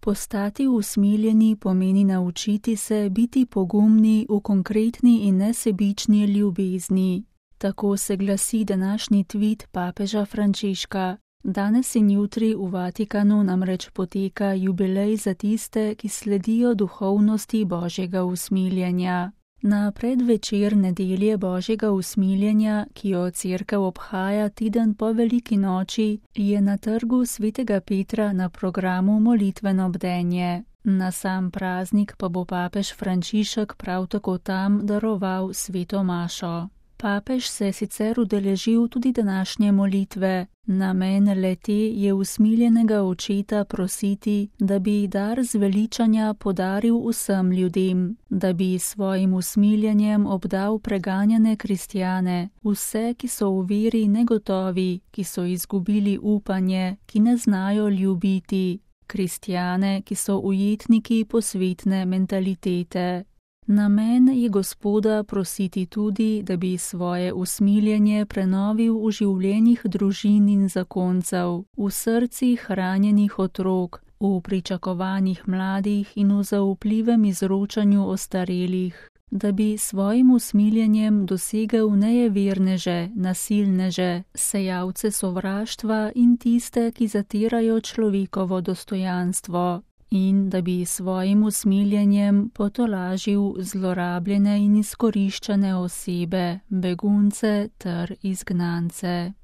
Postati usmiljeni pomeni naučiti se biti pogumni v konkretni in nesebični ljubezni. Tako se glasi današnji tvit papeža Frančiška. Danes in jutri v Vatikanu namreč poteka jubilej za tiste, ki sledijo duhovnosti Božjega usmiljenja. Na predvečer nedelje Božjega usmiljenja, ki jo Cerkev obhaja teden po veliki noči, je na trgu svetega Petra na programu molitveno bdenje. Na sam praznik pa bo papež Frančišek prav tako tam daroval sveto mašo. Papež se je sicer udeležil tudi današnje molitve. Namen le-te je usmiljenega očeta prositi, da bi dar zveličanja podaril vsem ljudem, da bi svojim usmiljenjem obdal preganjane kristjane, vse, ki so v veri negotovi, ki so izgubili upanje, ki ne znajo ljubiti, kristjane, ki so ujetniki posvetne mentalitete. Namen je Gospoda prositi tudi, da bi svoje usmiljenje prenovil v življenjih družin in zakoncev, v srcih ranjenih otrok, v pričakovanjih mladih in v zaupljivem izročanju ostarelih, da bi svojim usmiljenjem dosegel nejeverneže, nasilneže, sejalce sovraštva in tiste, ki zatirajo človekovo dostojanstvo. In da bi svojim usmiljenjem potolažil zlorabljene in izkoriščane osebe, begunce ter izgnance.